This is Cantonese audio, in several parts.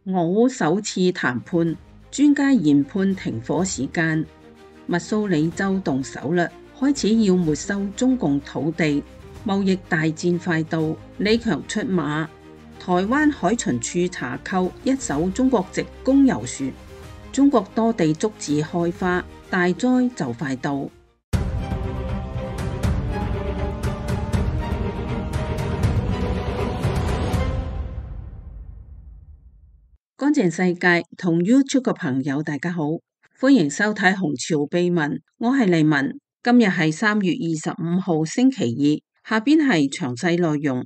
俄烏首次談判，專家研判停火時間。密蘇里州動手啦，開始要沒收中共土地，貿易大戰快到。李強出馬，台灣海巡署查扣一艘中國籍公油船。中國多地竹子開花，大災就快到。乾淨世界同 YouTube 嘅朋友大家好，歡迎收睇《紅潮秘聞》，我係黎文。今日係3月25號星期二，下邊係詳細內容。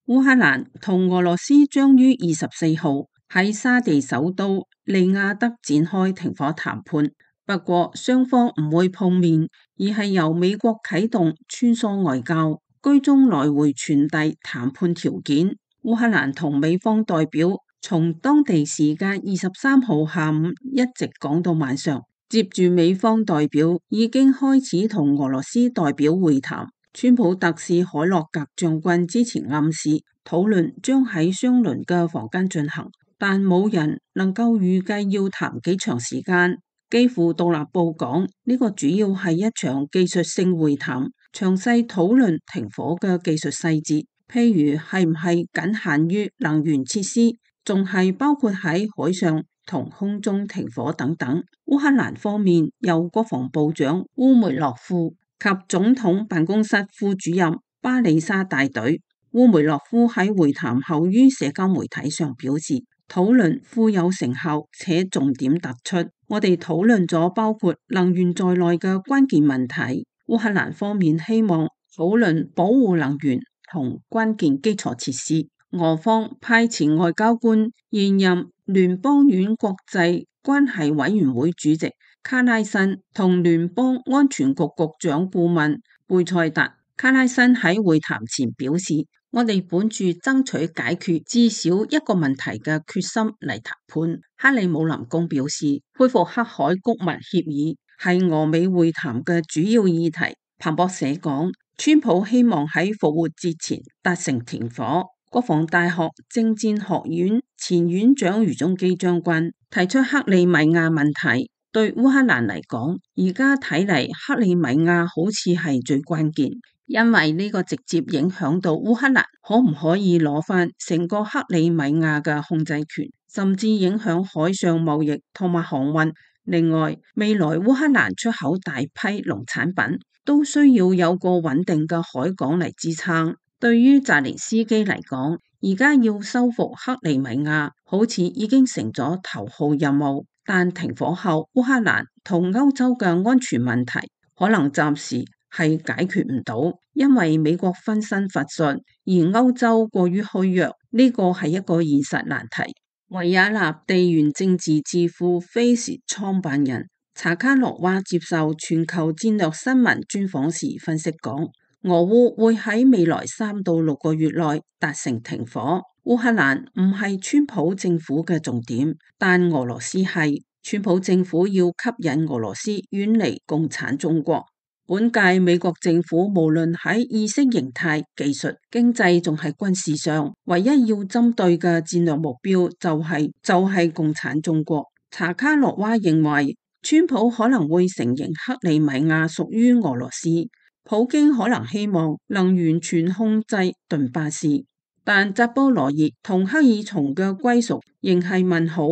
烏克蘭同俄羅斯將於24號喺沙地首都利雅得展開停火談判，不過雙方唔會碰面，而係由美國啟動穿梭外交，居中來回傳遞談判條件。烏克蘭同美方代表從當地時間23號下午一直講到晚上，接住美方代表已經開始同俄羅斯代表會談。川普特使海洛格將軍之前暗示討論將喺相鄰嘅房間進行，但冇人能夠預計要談幾長時間。幾乎獨立報講呢個主要係一場技術性會談，詳細討論停火嘅技術細節。譬如係唔係僅限於能源設施，仲係包括喺海上同空中停火等等。烏克蘭方面由國防部長烏梅諾夫及總統辦公室副主任巴里沙帶隊。烏梅諾夫喺會談後於社交媒體上表示，討論富有成效且重點突出，我哋討論咗包括能源在內嘅關鍵問題。烏克蘭方面希望討論保護能源同關鍵基礎設施。俄方派前外交官、現任聯邦院國際關係委員會主席卡拉申同聯邦安全局局長顧問貝塞達。卡拉申喺會談前表示，我哋本住爭取解決至少一個問題嘅決心嚟談判。克里姆林宮表示，恢復黑海谷物協議係俄美會談嘅主要議題。彭博社講，川普希望喺復活節前達成停火。國防大學政戰學院前院長余宗基將軍提出克里米亞問題，對烏克蘭嚟講，而家睇嚟克里米亞好似係最關鍵，因為呢個直接影響到烏克蘭可唔可以攞翻成個克里米亞嘅控制權，甚至影響海上貿易同埋航運。另外，未來烏克蘭出口大批農產品，都需要有個穩定嘅海港嚟支撐。對於澤連斯基嚟講，而家要收復克里米亞好似已經成咗頭號任務，但停火後烏克蘭同歐洲嘅安全問題可能暫時係解決唔到，因為美國分身乏術，而歐洲過於虛弱，呢個係一個現實難題。維也納地緣政治智庫 Face 創辦人查卡洛娃接受全球戰略新聞專訪時分析講，俄烏會喺未來3到6個月內達成停火。烏克蘭唔係川普政府嘅重點，但俄羅斯係。川普政府要吸引俄羅斯遠離共產中國。本屆美國政府無論喺意識形態、技術、經濟仲係軍事上，唯一要針對嘅戰略目標就係共產中國。查卡洛娃認為，川普可能會承認克里米亞屬於俄羅斯，普京可能希望能完全控制頓巴斯，但扎波羅熱同克爾松嘅歸屬仍係問號。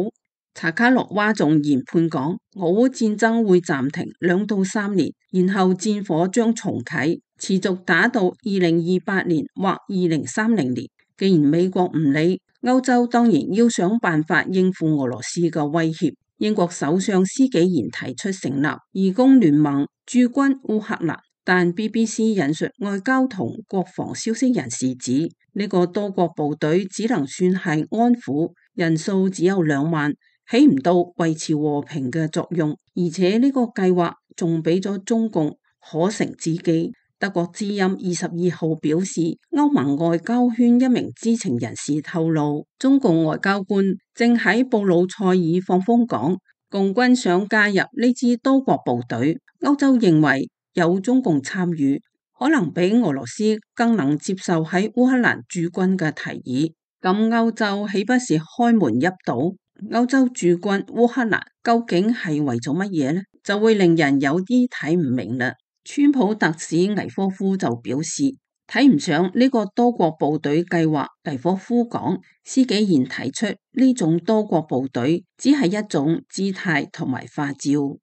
查卡洛娃仲研判講，俄烏戰爭會暫停2到3年，然後戰火將重啟，持續打到2028年或2030年。既然美國唔理，歐洲當然要想辦法應付俄羅斯嘅威脅。英國首相施紀賢提出成立義工聯盟駐軍烏克蘭，但 BBC 引述外交同國防消息人士指，呢個多國部隊只能算係安撫，人數只有2萬。起唔到維持和平嘅作用，而且呢個計劃仲俾咗中共可乘之機。德國之音22號表示，歐盟外交圈一名知情人士透露，中共外交官正喺布魯塞爾放風講，共軍想加入呢支多國部隊。歐洲認為有中共參與，可能比俄羅斯更能接受喺烏克蘭駐軍嘅提議。咁歐洲豈不是開門一堵？歐洲駐軍烏克蘭究竟係為咗乜嘢呢？就會令人有啲睇唔明啦。川普特使魏科夫就表示睇唔上呢個多國部隊計劃。魏科夫講，施紀賢提出呢種多國部隊只係一種姿態同埋花招。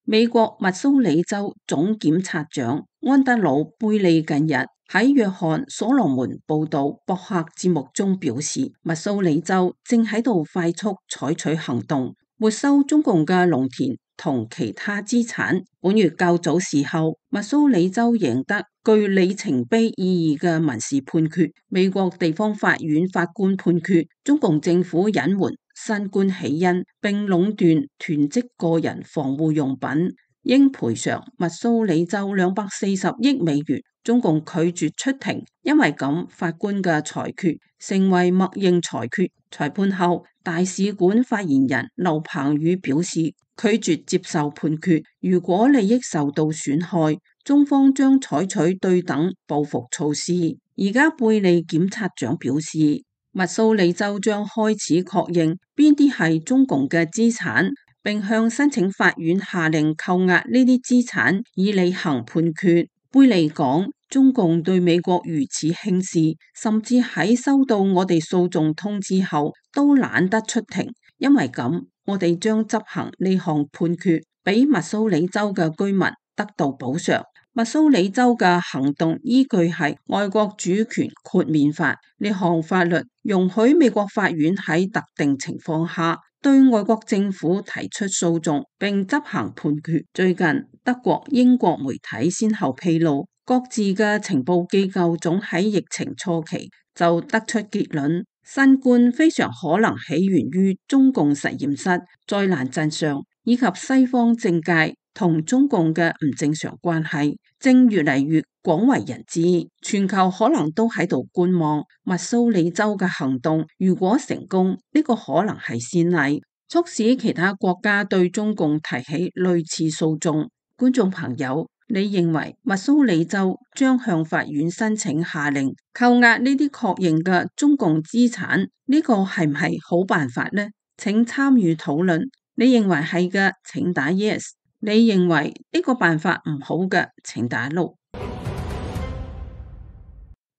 美國密蘇里州總檢察長安德魯貝利近日喺約翰所羅門報道博客節目中表示，密蘇里州正喺度快速採取行動，沒收中共嘅農田同其他資產。本月較早時候，密蘇里州贏得具里程碑意義嘅民事判決。美國地方法院法官判決中共政府隱瞞新冠起因，並壟斷囤積個人防護用品，應賠償密蘇里州240億美元。中共拒絕出庭，因為咁法官嘅裁決成為默認裁決。裁判後，大使館發言人劉鵬宇表示拒絕接受判決。如果利益受到損害，中方將採取對等報復措施。而家貝利檢察長表示，密蘇里州將開始確認邊啲係中共嘅資產，並向申請法院下令扣押呢啲資產以履行判決。貝利講，中共對美國如此輕視，甚至喺收到我哋訴訟通知後都懶得出庭。因為咁，我哋將執行呢項判決，俾密蘇里州嘅居民得到補償。密蘇里州嘅行動依據係外國主權豁免法，呢項法律容許美國法院喺特定情況下對外國政府提出訴訟並執行判決。最近德國、英國媒體先後披露，各自嘅情報機構總喺疫情初期就得出結論，新冠非常可能起源於中共實驗室。災難真相以及西方政界同中共嘅唔正常關係正越嚟越廣為人知，全球可能都喺度觀望密蘇里州嘅行動。如果成功，呢個可能係先例，促使其他國家對中共提起類似訴訟。觀眾朋友，你認為密蘇里州將向法院申請下令扣押呢啲確認嘅中共資產，呢個係唔係好辦法呢？請參與討論。你認為係嘅，請打 yes。你認為呢個辦法唔好嘅，請打 no。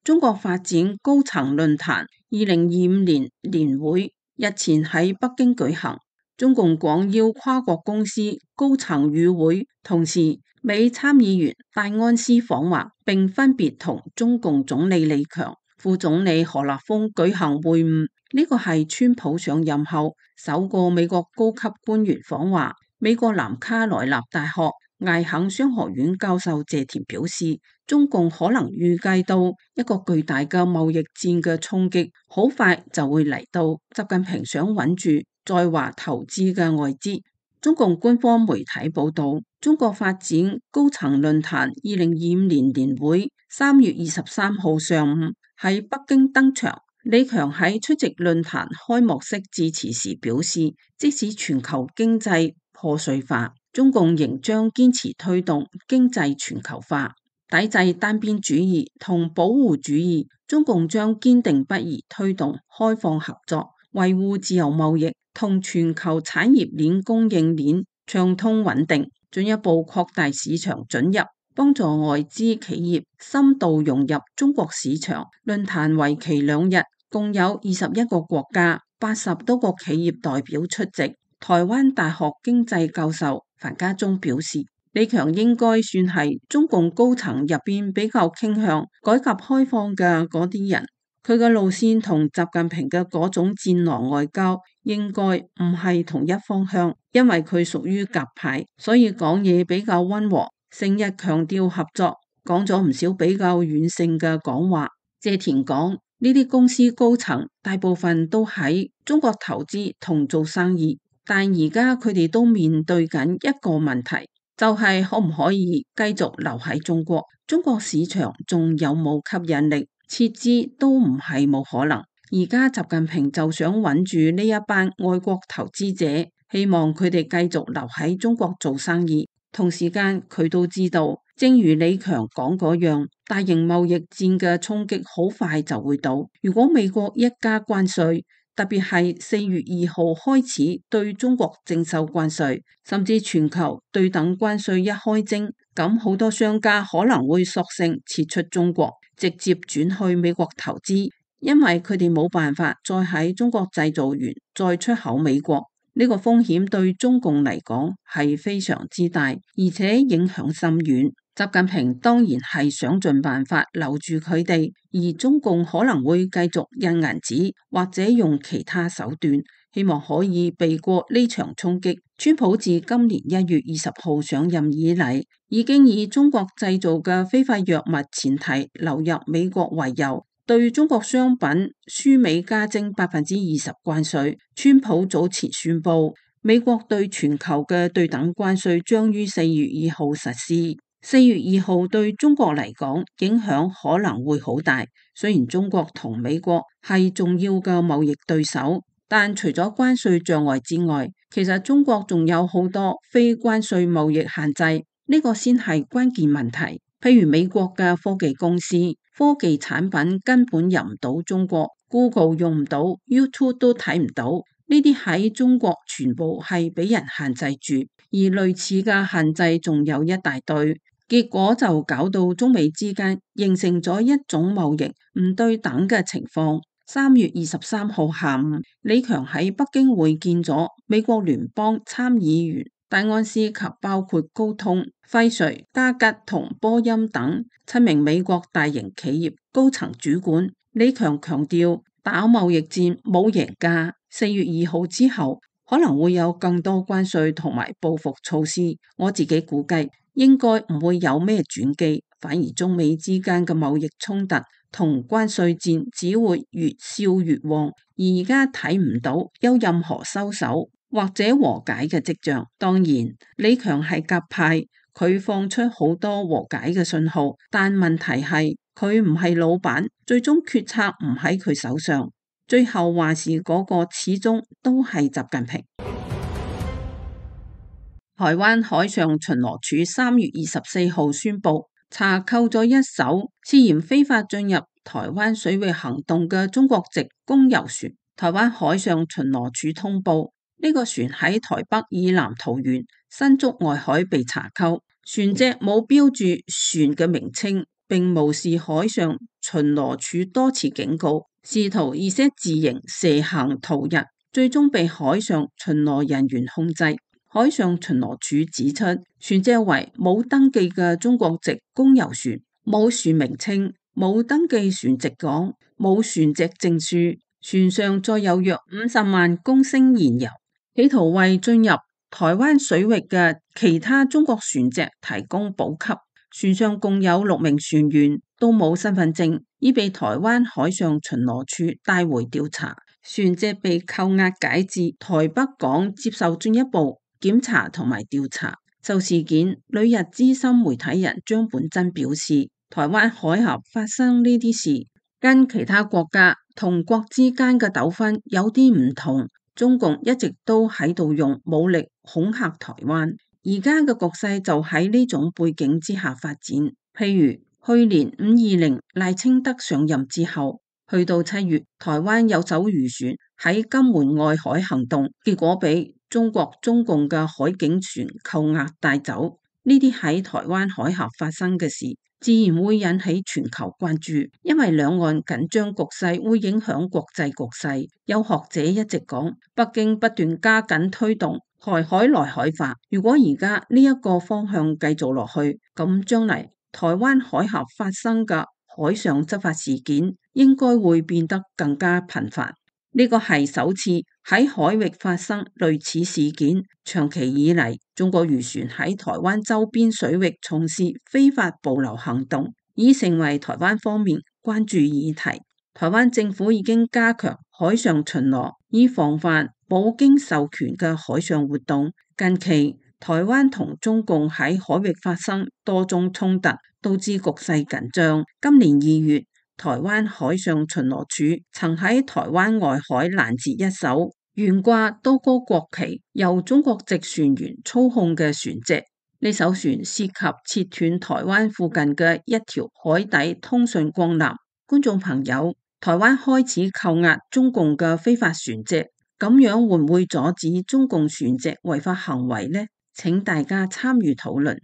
中國發展高層論壇2025年年會日前喺北京舉行，中共廣邀跨國公司高層與會，同時美參議員戴安斯訪華，並分別同中共總理李強、副總理何立峰舉行會晤。呢個係川普上任後首個美國高級官員訪華。美國南卡羅來納大學艾肯商學院教授謝田表示，中共可能預計到一個巨大嘅貿易戰嘅衝擊好快就會嚟到，習近平想穩住在華投資嘅外資。中共官方媒體報道，中國發展高層論壇2025年年會3月23號上午喺北京登場。李強喺出席論壇開幕式致辭時表示，即使全球經濟破碎化，中共仍將堅持推動經濟全球化，抵制單邊主義同保護主義。中共將堅定不移推動開放合作，維護自由貿易同全球產業鏈供應鏈暢通穩定，進一步擴大市場准入，幫助外資企業深度融入中國市場。論壇為期2日，共有21個國家、80多個企業代表出席。台灣大學經濟教授樊家忠表示，李強應該算係中共高層入邊比較傾向改革開放嘅嗰啲人，佢嘅路線同習近平嘅嗰種戰狼外交應該唔係同一方向，因為佢屬於鴿派，所以講嘢比較溫和，成日強調合作，講咗唔少比較軟性嘅講話。謝田講，呢啲公司高層大部分都喺中國投資同做生意，但而家佢哋都面對緊一個問題，就係可唔可以繼續留喺中國？中國市場仲有冇吸引力？撤資都唔係冇可能。而家習近平就想穩住呢一班外國投資者，希望佢哋繼續留喺中國做生意。同時間佢都知道正如李強講嗰樣，大型貿易戰嘅衝擊好快就會到。如果美國一加關稅，特別係4月2號開始對中國徵收關稅，甚至全球對等關稅一開徵，咁好多商家可能會索性撤出中國，直接轉去美國投資，因為佢哋冇辦法再喺中國製造完再出口美國。呢個風險對中共嚟講係非常之大，而且影響深遠。習近平當然係想盡辦法留住佢哋，而中共可能會繼續印銀紙或者用其他手段，希望可以避過呢場衝擊。川普自今年1月20號上任以嚟，已經以中國製造嘅非法藥物前提流入美國為由，對中國商品輸美加徵20%關稅。川普早前宣布，美國對全球嘅對等關稅將於4月2號實施。4月2號對中國嚟講影響可能會好大，雖然中國同美國係重要嘅貿易對手，但除咗關稅障礙之外，其實中國仲有好多非關稅貿易限制，呢個先係關鍵問題。譬如美國嘅科技公司，科技產品根本入唔到中國， Google 用唔到， YouTube 都睇唔到，呢啲喺中國全部係俾人限制住，而類似嘅限制仲有一大堆。結果就搞到中美之間形成咗一種貿易唔對等嘅情況。3月23號下午，李強喺北京會見咗美國聯邦參議員戴安斯及包括高通、輝瑞、嘉吉同波音等7名美國大型企業高層主管。李強強調，打貿易戰冇贏家，4月2號之後可能會有更多關稅同埋報復措施。我自己估計應該唔會有咩轉機，反而中美之間嘅貿易衝突同關稅戰只會越燒越旺，而家睇唔到有任何收手或者和解嘅跡象。當然，李強係鴿派，佢放出好多和解嘅信號，但問題係佢唔係老闆，最終決策唔喺佢手上，最後話事嗰個始終都係習近平。台灣海上巡邏署3月24號宣布查扣咗一艘涉嫌非法進入台灣水域行動嘅中國籍公油船。台灣海上巡邏署通報，呢個船喺台北以南桃園新竹外海被查扣，船隻冇標注船嘅名稱，並無視海上巡邏署多次警告，試圖以些自營蛇行逃逸，最終被海上巡邏人員控制。海上巡邏署指出，船隻為冇登記嘅中國籍公油船，冇船名稱，冇登記船籍港，冇船籍證書，船上載有約50萬公升燃油，企圖為進入台灣水域嘅其他中國船隻提供補給。船上共有6名船員，都冇身份證，已被台灣海上巡邏署帶回調查。船隻被扣押解至台北港接受進一步檢查同埋調查。就事件，旅日資深媒體人張本真表示，台灣海峽發生呢啲事，跟其他國家同國之間嘅糾紛有啲唔同。中共一直都喺度用武力恐嚇台灣，而家嘅局勢就喺呢種背景之下發展。譬如去年520賴清德上任之後，去到7月，台灣有艘漁船喺金門外海行動，結果被中共嘅海警船扣押帶走。呢啲喺台灣海峽發生嘅事，自然會引起全球關注，因為兩岸緊張局勢會影響國際局勢。有學者一直講，北京不斷加緊推動台海來海化，如果而家呢一個方向繼續落去，咁將嚟台灣海峽發生嘅海上執法事件應該會變得更加頻繁。呢個係首次喺海域發生類似事件。長期以嚟，中國漁船喺台灣周邊水域從事非法捕撈行動，已成為台灣方面關注議題。台灣政府已經加強海上巡邏，以防範冇經授權嘅海上活動。近期，台灣同中共喺海域發生多宗衝突，導致局勢緊張。今年2月，台灣海上巡邏署曾喺台灣外海攔截一艘懸掛多個國旗、由中國籍船員操控嘅船隻，呢艘船涉及切斷台灣附近嘅一條海底通訊光纜。觀眾朋友，台灣開始扣押中共嘅非法船隻，咁樣會唔會阻止中共船隻違法行為呢？請大家參與討論。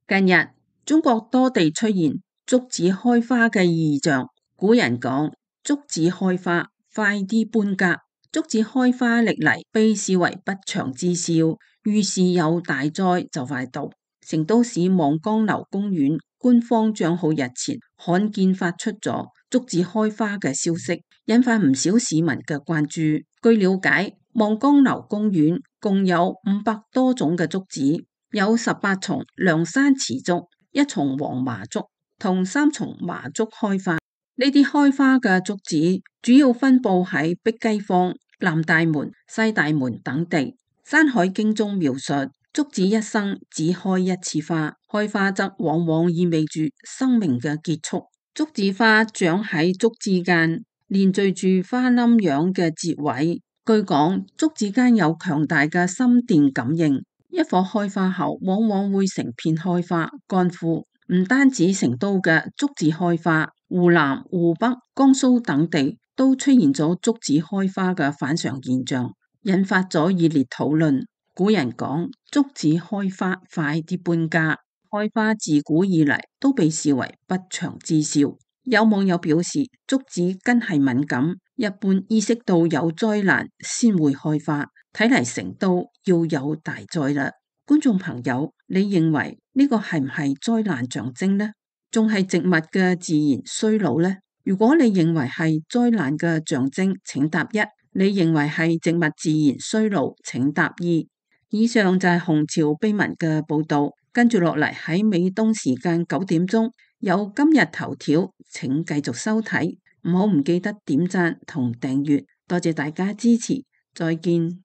近日，中國多地出現竹子開花嘅異象。古人講：竹子開花，快啲搬家。竹子開花歷嚟被視為不祥之兆，預示有大災就快到。成都市望江樓公園官方賬號日前罕見發出咗竹子開花嘅消息，引發唔少市民嘅關注。據了解，望江樓公園共有500多種嘅竹子，有18叢涼山池竹、1叢黃麻竹同3叢麻竹開花。呢啲開花嘅竹子主要分布喺碧雞坊、南大門、西大門等地。《山海經》中描述，竹子一生只開一次花，開花則往往意味住生命嘅結束。竹子花長喺竹枝間，連綴住花冧樣嘅節位。據講，竹子間有強大嘅心電感應，一棵開花後，往往會成片開花乾枯。唔單止成都嘅竹子開花，湖南、湖北、江蘇等地都出現咗竹子開花嘅反常現象，引發咗熱烈討論。古人講：竹子開花，快啲搬家。開花自古以嚟都被視為不祥之兆。有網友表示，竹子根係敏感，一般意識到有災難先會開花。睇嚟成都要有大災啦！觀眾朋友，你認為呢個係唔係災難象徵呢？仲係植物嘅自然衰老呢？如果你認為係災難嘅象徵，請答1；你認為係植物自然衰老，請答2。以上就係紅潮秘聞嘅報道。跟住落嚟喺美東時間9點鐘有今日頭條，請繼續收睇。唔記得點讚同訂閱，多謝大家支持，再見。